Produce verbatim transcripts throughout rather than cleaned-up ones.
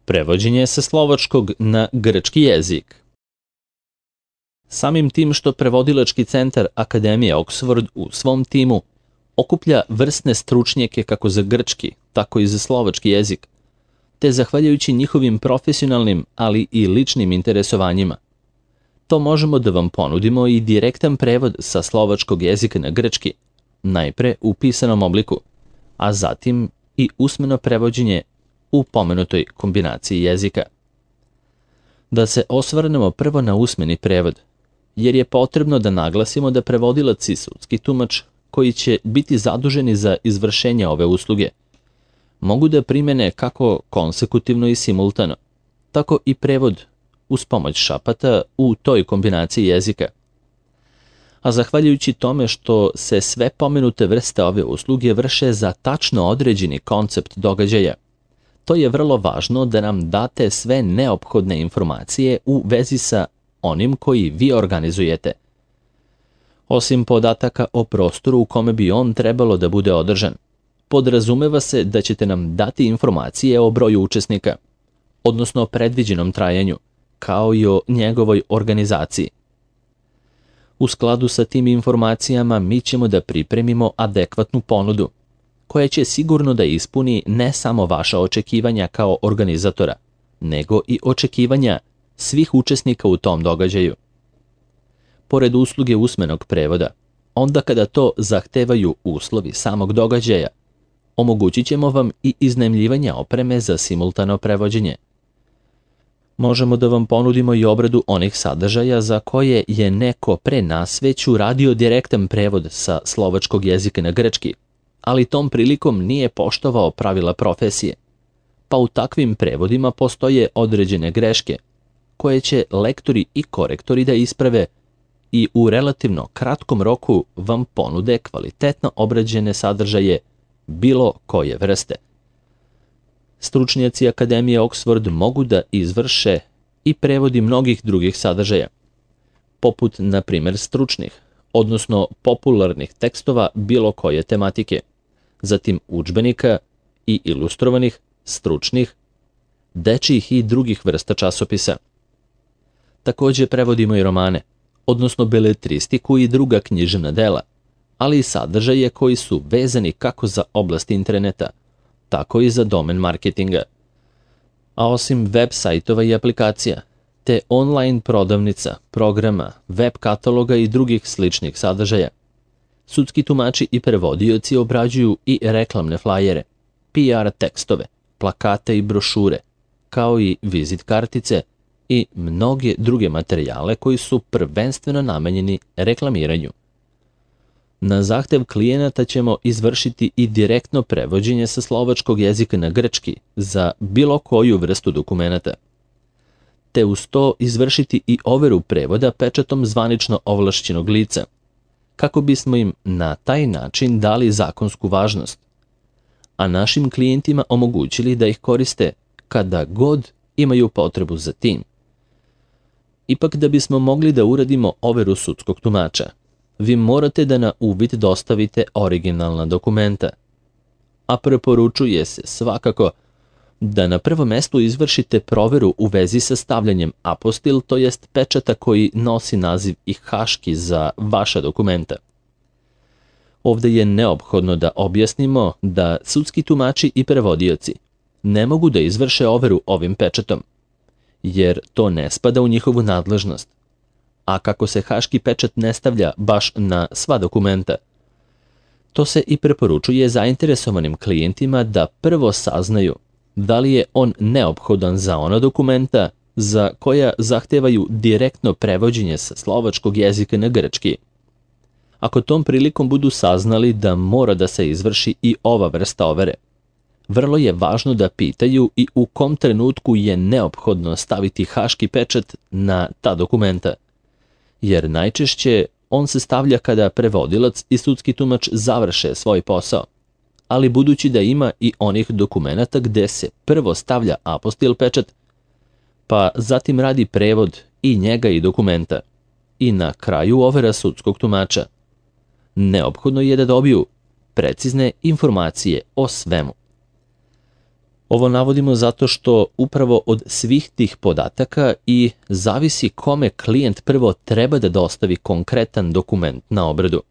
Prevođenje sa slovačkog na grčki jezik. Samim tim što prevodilački centar Akademije Oxford u svom timu okuplja vrsne stručnjake kako za grčki, tako i za slovački jezik, te zahvaljujući njihovim profesionalnim, ali i ličnim interesovanjima, to možemo da vam ponudimo i direktan prevod sa slovačkog jezika na grčki, najpre u pisanom obliku, a zatim i usmeno prevođenje u pomenutoj kombinaciji jezika. Da se osvrnemo prvo na usmeni prevod, jer je potrebno da naglasimo da prevodilac i sudski tumač koji će biti zaduženi za izvršenje ove usluge mogu da primene kako konsekutivno i simultano, tako i prevod uz pomoć šapata u toj kombinaciji jezika. A zahvaljujući tome što se sve pomenute vrste ove usluge vrše za tačno određeni koncept događaja, to je vrlo važno da nam date sve neophodne informacije u vezi sa onim koji vi organizujete. Osim podataka o prostoru u kome bi on trebalo da bude održan, podrazumeva se da ćete nam dati informacije o broju učesnika, odnosno o predviđenom trajanju, kao i o njegovoj organizaciji. U skladu sa tim informacijama mi ćemo da pripremimo adekvatnu ponudu, koja će sigurno da ispuni ne samo vaša očekivanja kao organizatora, nego i očekivanja svih učesnika u tom događaju. Pored usluge usmenog prevoda, onda kada to zahtevaju uslovi samog događaja, omogućit ćemo vam i iznajmljivanje opreme za simultano prevođenje. Možemo da vam ponudimo i obradu onih sadržaja za koje je neko pre nas već uradio direktan prevod sa slovačkog jezika na grčki, ali tom prilikom nije poštovao pravila profesije, pa u takvim prevodima postoje određene greške, koje će lektori i korektori da isprave i u relativno kratkom roku vam ponude kvalitetno obrađene sadržaje bilo koje vrste. Stručnjaci Akademije Oxford mogu da izvrše i prevodi mnogih drugih sadržaja, poput, na primjer, stručnih, odnosno popularnih tekstova bilo koje tematike, zatim udžbenika i ilustrovanih, stručnih, dečjih i drugih vrsta časopisa. Takođe prevodimo i romane, odnosno beletristiku i druga književna dela, ali i sadržaje koji su vezani kako za oblast interneta, tako i za domen marketinga. A osim web sajtova i aplikacija, te online prodavnica, programa, web kataloga i drugih sličnih sadržaja, sudski tumači i prevodioci obrađuju i reklamne flajere, P R tekstove, plakate i brošure, kao i vizit kartice i mnoge druge materijale koji su prvenstveno namenjeni reklamiranju. Na zahtev klijenata ćemo izvršiti i direktno prevođenje sa slovačkog jezika na grčki za bilo koju vrstu dokumenata, te uz to izvršiti i overu prevoda pečatom zvanično ovlašćenog lica, kako bismo im na taj način dali zakonsku važnost, a našim klijentima omogućili da ih koriste kada god imaju potrebu za tim. Ipak, da bismo mogli da uradimo overu sudskog tumača, vi morate da na uvid dostavite originalna dokumenta, a preporučuje se svakako da na prvom mestu izvršite proveru u vezi sa stavljanjem apostil, to jest pečata koji nosi naziv i haški za vaša dokumenta. Ovde je neophodno da objasnimo da sudski tumači i prevodioci ne mogu da izvrše overu ovim pečatom, jer to ne spada u njihovu nadležnost. A kako se haški pečat ne stavlja baš na sva dokumenta, to se i preporučuje zainteresovanim klijentima da prvo saznaju da li je on neophodan za ona dokumenta za koja zahtevaju direktno prevođenje sa slovačkog jezika na grčki. Ako tom prilikom budu saznali da mora da se izvrši i ova vrsta overe, vrlo je važno da pitaju i u kom trenutku je neophodno staviti haški pečat na ta dokumenta, jer najčešće on se stavlja kada prevodilac i sudski tumač završe svoj posao, ali budući da ima i onih dokumenata gde se prvo stavlja apostil pečat, pa zatim radi prevod i njega i dokumenta, i na kraju overa sudskog tumača, neophodno je da dobiju precizne informacije o svemu. Ovo navodimo zato što upravo od svih tih podataka i zavisi kome klijent prvo treba da dostavi konkretan dokument na obradu.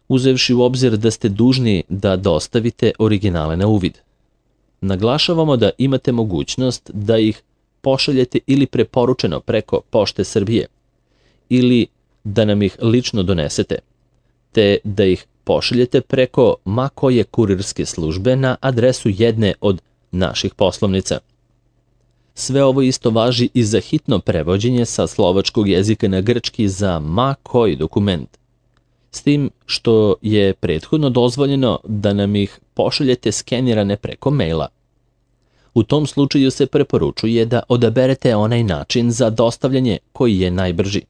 Uzevši u obzir da ste dužni da dostavite originale na uvid. Naglašavamo da imate mogućnost da ih pošaljete ili preporučeno preko Pošte Srbije ili da nam ih lično donesete, te da ih pošaljete preko ma koje kurirske službe na adresu jedne od naših poslovnica. Sve ovo isto važi i za hitno prevođenje sa slovačkog jezika na grčki za ma koji dokument, s tim što je prethodno dozvoljeno da nam ih pošaljete skenirane preko maila. U tom slučaju se preporučuje da odaberete onaj način za dostavljanje koji je najbrži,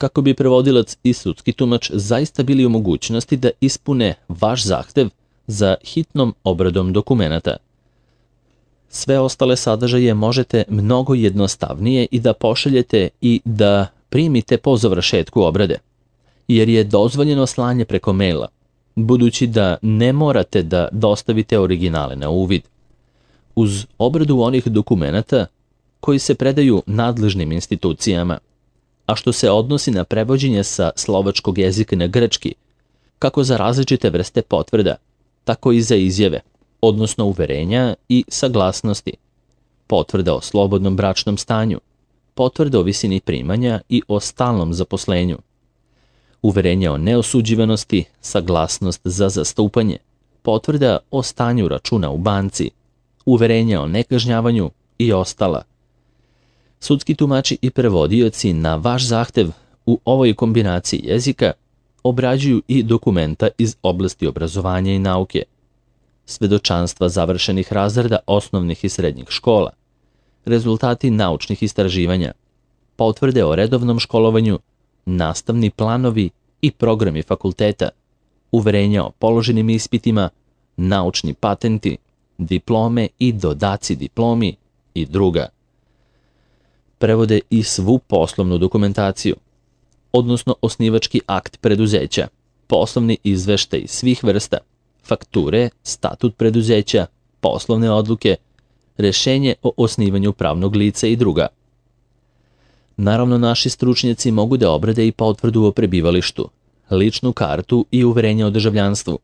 kako bi prevodilac i sudski tumač zaista bili u mogućnosti da ispune vaš zahtev za hitnom obradom dokumenata. Sve ostale sadržaje možete mnogo jednostavnije i da pošaljete i da primite po završetku obrade, jer je dozvoljeno slanje preko maila, budući da ne morate da dostavite originale na uvid. Uz obradu onih dokumenata koji se predaju nadležnim institucijama, a što se odnosi na prevođenje sa slovačkog jezika na grčki, kako za različite vrste potvrda, tako i za izjave, odnosno uverenja i saglasnosti, potvrda o slobodnom bračnom stanju, potvrda o visini primanja i o stalnom zaposlenju, uverenja o neosuđivanosti, saglasnost za zastupanje, potvrda o stanju računa u banci, uverenja o nekažnjavanju i ostala. Sudski tumači i prevodioci na vaš zahtev u ovoj kombinaciji jezika obrađuju i dokumenta iz oblasti obrazovanja i nauke, svedočanstva završenih razreda osnovnih i srednjih škola, rezultati naučnih istraživanja, potvrde o redovnom školovanju, nastavni planovi i programi fakulteta, uverenja o položenim ispitima, naučni patenti, diplome i dodaci diplomi i druga. Prevode i svu poslovnu dokumentaciju, odnosno osnivački akt preduzeća, poslovni izveštaj svih vrsta, fakture, statut preduzeća, poslovne odluke, rešenje o osnivanju pravnog lica i druga. Naravno, naši stručnjaci mogu da obrade i potvrdu o prebivalištu, ličnu kartu i uverenje o državljanstvu,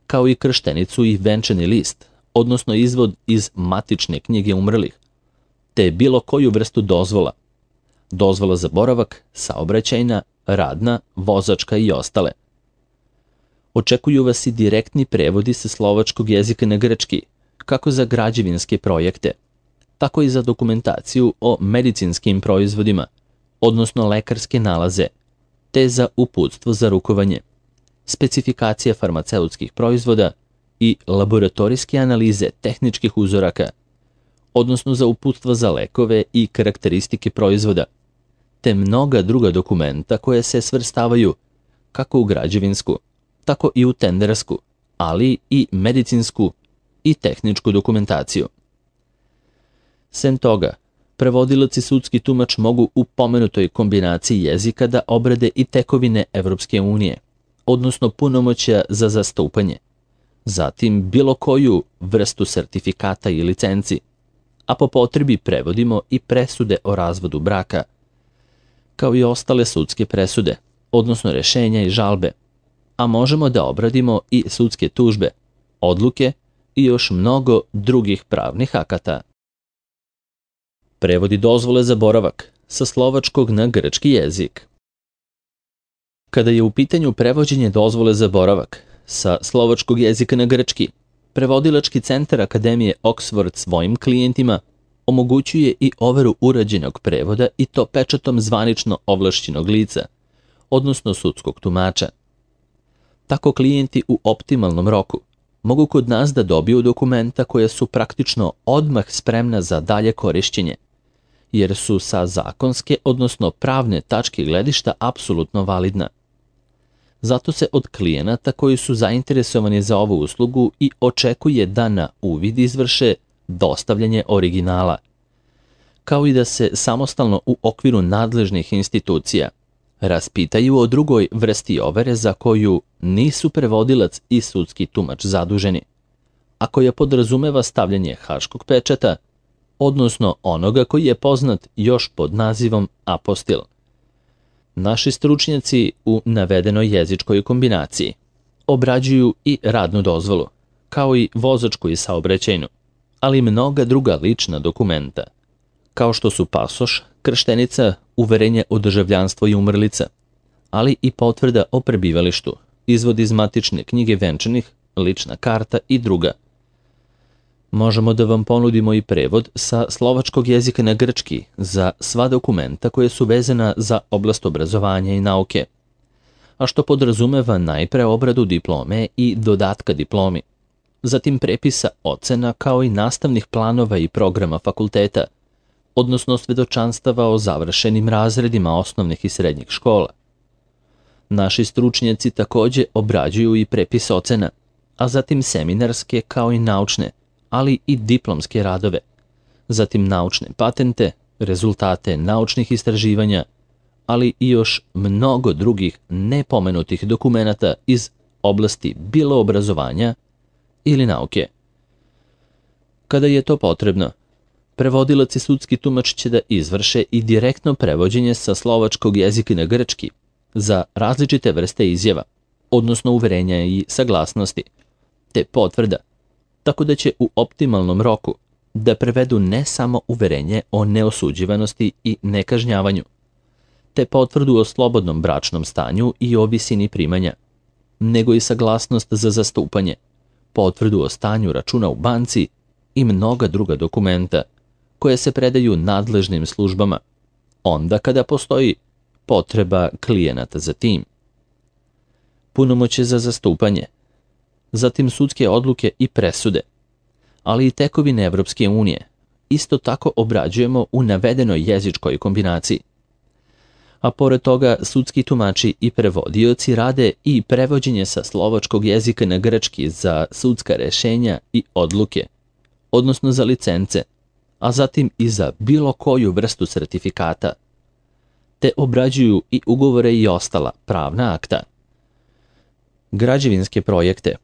kao i krštenicu i venčani list, odnosno izvod iz matične knjige umrlih, te bilo koju vrstu dozvola, dozvola za boravak, saobraćajna, radna, vozačka i ostale. Očekuju vas i direktni prevodi sa slovačkog jezika na grčki, kako za građevinske projekte, tako i za dokumentaciju o medicinskim proizvodima, odnosno lekarske nalaze, te za uputstvo za rukovanje, specifikacija farmaceutskih proizvoda i laboratorijske analize tehničkih uzoraka, odnosno za uputstva za lekove i karakteristike proizvoda, te mnoga druga dokumenta koje se svrstavaju kako u građevinsku, tako i u tendersku, ali i medicinsku i tehničku dokumentaciju. Sem toga, prevodilac i sudski tumač mogu u pomenutoj kombinaciji jezika da obrade i tekovine Evropske unije, odnosno punomoćja za zastupanje, zatim bilo koju vrstu sertifikata i licenci, a po potrebi prevodimo i presude o razvodu braka, kao i ostale sudske presude, odnosno rešenja i žalbe, a možemo da obradimo i sudske tužbe, odluke i još mnogo drugih pravnih akata. Prevodi dozvole za boravak sa slovačkog na grčki jezik. Kada je u pitanju prevođenje dozvole za boravak sa slovačkog jezika na grčki, prevodilački centar Akademije Oxford svojim klijentima omogućuje i overu urađenog prevoda i to pečatom zvanično ovlašćenog lica, odnosno sudskog tumača. Tako klijenti u optimalnom roku mogu kod nas da dobiju dokumenta koja su praktično odmah spremna za dalje korišćenje, jer su sa zakonske, odnosno pravne tačke gledišta apsolutno validna. Zato se od klijenata koji su zainteresovani za ovu uslugu i očekuje da na uvid izvrše dostavljanje originala, kao i da se samostalno u okviru nadležnih institucija raspitaju o drugoj vrsti overe za koju nisu prevodilac i sudski tumač zaduženi, a koja podrazumeva stavljanje haškog pečata, odnosno onoga koji je poznat još pod nazivom apostil. Naši stručnjaci u navedenoj jezičkoj kombinaciji obrađuju i radnu dozvolu, kao i vozačku i saobraćajnu, ali i mnoga druga lična dokumenta, kao što su pasoš, krštenica, uverenje o državljanstvu i umrlica, ali i potvrda o prebivalištu, izvod iz matične knjige venčanih, lična karta i druga. Možemo da vam ponudimo i prevod sa slovačkog jezika na grčki za sva dokumenta koje su vezana za oblast obrazovanja i nauke, a što podrazumeva najpre obradu diplome i dodatka diplomi, zatim prepisa ocena kao i nastavnih planova i programa fakulteta, odnosno svedočanstava o završenim razredima osnovnih i srednjih škola. Naši stručnjaci takođe obrađuju i prepis ocena, a zatim seminarske kao i naučne, ali i diplomske radove, zatim naučne patente, rezultate naučnih istraživanja, ali i još mnogo drugih nepomenutih dokumenata iz oblasti bilo obrazovanja ili nauke. Kada je to potrebno, prevodilac i sudski tumač će da izvrše i direktno prevođenje sa slovačkog jezika na grčki za različite vrste izjava, odnosno uverenja i saglasnosti, te potvrda, tako da će u optimalnom roku da prevedu ne samo uverenje o neosuđivanosti i nekažnjavanju, te potvrdu o slobodnom bračnom stanju i o visini primanja, nego i saglasnost za zastupanje, potvrdu o stanju računa u banci i mnoga druga dokumenta koje se predaju nadležnim službama, onda kada postoji potreba klijenata za tim. Punomoćje za zastupanje, zatim sudske odluke i presude, ali i tekovine Evropske unije, isto tako obrađujemo u navedenoj jezičkoj kombinaciji. A pored toga, sudski tumači i prevodioci rade i prevođenje sa slovačkog jezika na grčki za sudska rešenja i odluke, odnosno za licence, a zatim i za bilo koju vrstu sertifikata, te obrađuju i ugovore i ostala pravna akta. Građevinske projekte,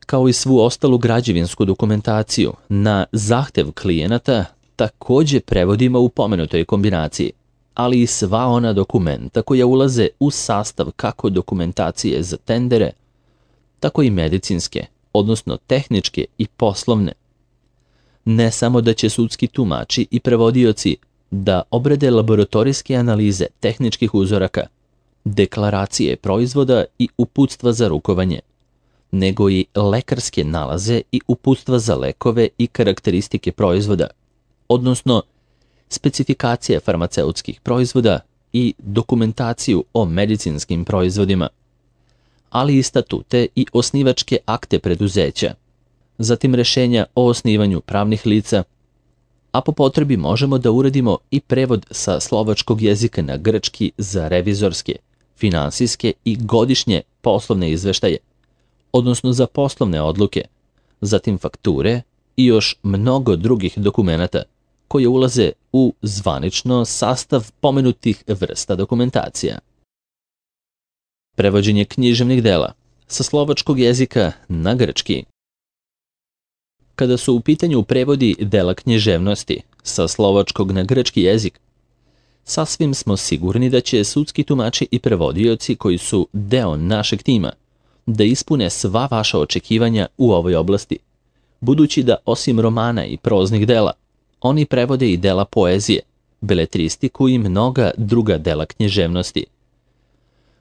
kao i svu ostalu građevinsku dokumentaciju na zahtev klijenata, takođe prevodimo u pomenutoj kombinaciji, ali i sva ona dokumenta koja ulaze u sastav kako dokumentacije za tendere, tako i medicinske, odnosno tehničke i poslovne. Ne samo da će sudski tumači i prevodioci da obrade laboratorijske analize tehničkih uzoraka, deklaracije proizvoda i uputstva za rukovanje, nego i lekarske nalaze i uputstva za lekove i karakteristike proizvoda, odnosno specifikacije farmaceutskih proizvoda i dokumentaciju o medicinskim proizvodima, ali i statute i osnivačke akte preduzeća, zatim rešenja o osnivanju pravnih lica, a po potrebi možemo da uradimo i prevod sa slovačkog jezika na grčki za revizorske, finansijske i godišnje poslovne izveštaje, odnosno za poslovne odluke, zatim fakture i još mnogo drugih dokumenata koje ulaze u zvanično sastav pomenutih vrsta dokumentacija. Prevođenje književnih dela sa slovačkog jezika na grčki. Kada su u pitanju prevodi dela književnosti sa slovačkog na grčki jezik, sasvim smo sigurni da će sudski tumači i prevodioci koji su deo našeg tima da ispune sva vaša očekivanja u ovoj oblasti, budući da osim romana i proznih dela, oni prevode i dela poezije, beletristiku i mnoga druga dela književnosti.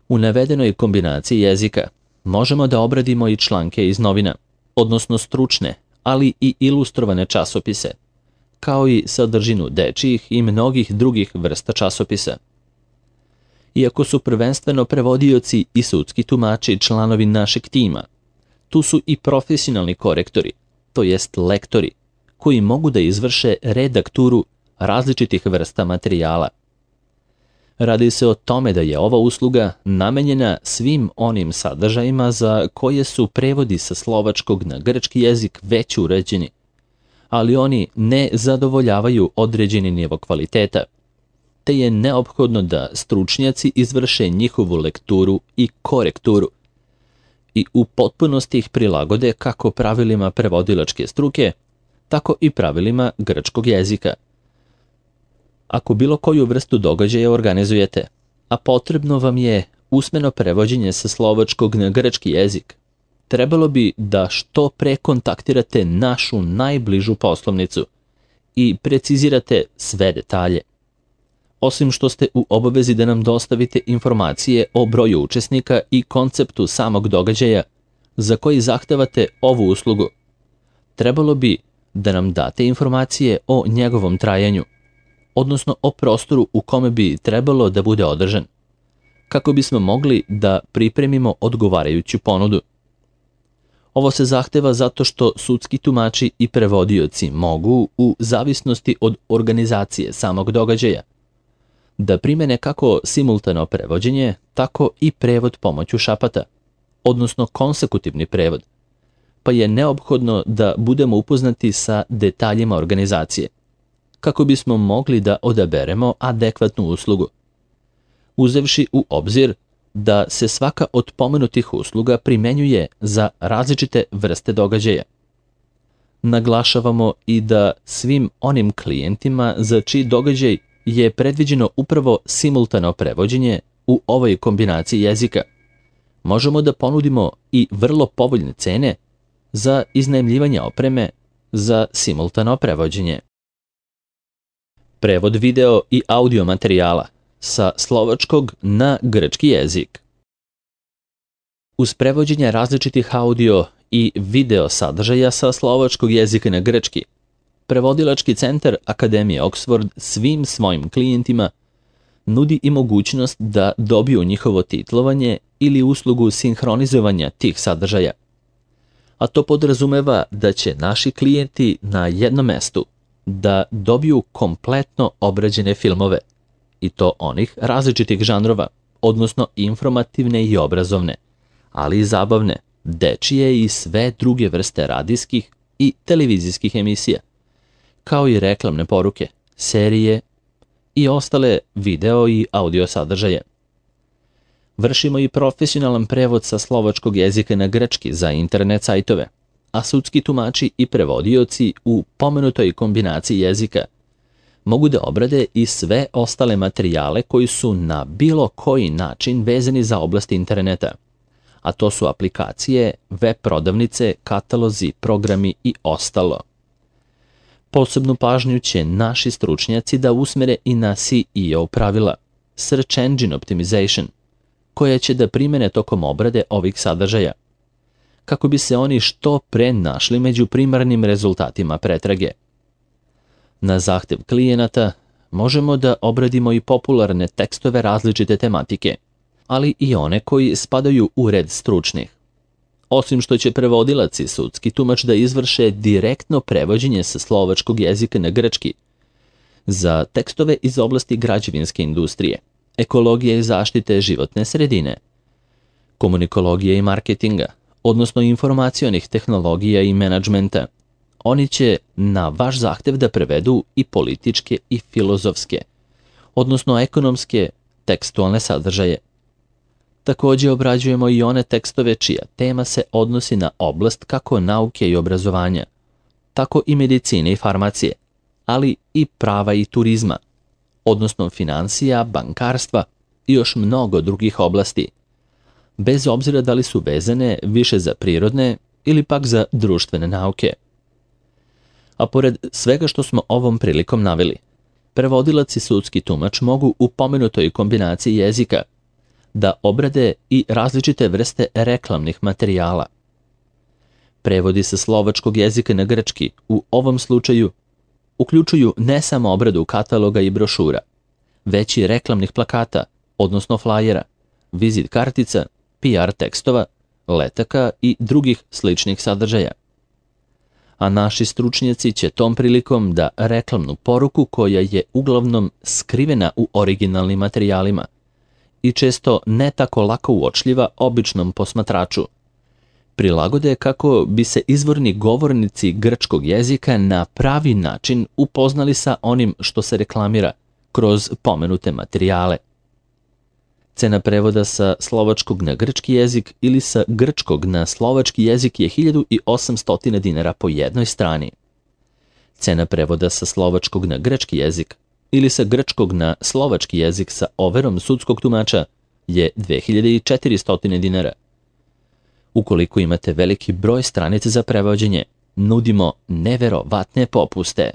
U navedenoj kombinaciji jezika možemo da obradimo i članke iz novina, odnosno stručne, ali i ilustrovane časopise, kao i sadržinu dečijih i mnogih drugih vrsta časopisa. Iako su prvenstveno prevodioci i sudski tumači članovi našeg tima, tu su i profesionalni korektori, to jest lektori, koji mogu da izvrše redakturu različitih vrsta materijala. Radi se o tome da je ova usluga namenjena svim onim sadržajima za koje su prevodi sa slovačkog na grčki jezik već uređeni, ali oni ne zadovoljavaju određeni nivo kvaliteta, te je neophodno da stručnjaci izvrše njihovu lekturu i korekturu. i u potpunosti ih prilagode kako pravilima prevodilačke struke, tako i pravilima grčkog jezika. Ako bilo koju vrstu događaja organizujete, a potrebno vam je usmeno prevođenje sa slovačkog na grčki jezik, trebalo bi da što pre kontaktirate našu najbližu poslovnicu i precizirate sve detalje. Osim što ste u obavezi da nam dostavite informacije o broju učesnika i konceptu samog događaja za koji zahtevate ovu uslugu, trebalo bi da nam date informacije o njegovom trajanju, odnosno o prostoru u kome bi trebalo da bude održan, kako bismo mogli da pripremimo odgovarajuću ponudu. Ovo se zahteva zato što sudski tumači i prevodioci mogu, u zavisnosti od organizacije samog događaja, da primene kako simultano prevođenje, tako i prevod pomoću šapata, odnosno konsekutivni prevod, pa je neophodno da budemo upoznati sa detaljima organizacije, kako bismo mogli da odaberemo adekvatnu uslugu, uzevši u obzir da se svaka od pomenutih usluga primenjuje za različite vrste događaja. Naglašavamo i da svim onim klijentima za čiji događaj je predviđeno upravo simultano prevođenje u ovoj kombinaciji jezika, možemo da ponudimo i vrlo povoljne cene za iznajmljivanje opreme za simultano prevođenje. Prevod video i audio materijala sa slovačkog na grčki jezik. Uz prevođenje različitih audio i video sadržaja sa slovačkog jezika na grčki, Prevodilački centar Akademije Oxford svim svojim klijentima nudi i mogućnost da dobiju njihovo titlovanje ili uslugu sinhronizovanja tih sadržaja. A to podrazumeva da će naši klijenti na jednom mestu da dobiju kompletno obrađene filmove, i to onih različitih žanrova, odnosno informativne i obrazovne, ali i zabavne, dečije i sve druge vrste radijskih i televizijskih emisija, kao i reklamne poruke, serije i ostale video i audio sadržaje. Vršimo i profesionalan prevod sa slovačkog jezika na grčki za internet sajtove, a sudski tumači i prevodioci u pomenutoj kombinaciji jezika mogu da obrade i sve ostale materijale koji su na bilo koji način vezani za oblast interneta, a to su aplikacije, web prodavnice, katalozi, programi i ostalo. Posebnu pažnju će naši stručnjaci da usmere i na S E O pravila, Search Engine Optimization, koja će da primene tokom obrade ovih sadržaja, kako bi se oni što pre našli među primarnim rezultatima pretrage. Na zahtev klijenata možemo da obradimo i popularne tekstove različite tematike, ali i one koji spadaju u red stručnih. Osim što će prevodilac i sudski tumač da izvrše direktno prevođenje sa slovačkog jezika na grčki za tekstove iz oblasti građevinske industrije, ekologije i zaštite životne sredine, komunikologije i marketinga, odnosno informacionih tehnologija i menadžmenta, oni će na vaš zahtev da prevedu i političke i filozofske, odnosno ekonomske tekstualne sadržaje. Također obrađujemo i one tekstove čija tema se odnosi na oblast kako nauke i obrazovanja, tako i medicine i farmacije, ali i prava i turizma, odnosno financija, bankarstva i još mnogo drugih oblasti, bez obzira da li su vezane više za prirodne ili pak za društvene nauke. A pored svega što smo ovom prilikom naveli, prevodilac i sudski tumač mogu u pomenutoj kombinaciji jezika da obrade i različite vrste reklamnih materijala. Prevodi sa slovačkog jezika na grčki u ovom slučaju uključuju ne samo obradu kataloga i brošura, već i reklamnih plakata, odnosno flajera, vizit kartica, P R tekstova, letaka i drugih sličnih sadržaja. A naši stručnjaci će tom prilikom da reklamnu poruku koja je uglavnom skrivena u originalnim materijalima i često ne tako lako uočljiva običnom posmatraču, prilagode kako bi se izvorni govornici grčkog jezika na pravi način upoznali sa onim što se reklamira kroz pomenute materijale. Cena prevoda sa slovačkog na grčki jezik ili sa grčkog na slovački jezik je hiljadu osamsto dinara po jednoj strani. Cena prevoda sa slovačkog na grčki jezik ili sa grčkog na slovački jezik sa overom sudskog tumača je dve hiljade četiristo dinara. Ukoliko imate veliki broj stranica za prevođenje, nudimo neverovatne popuste.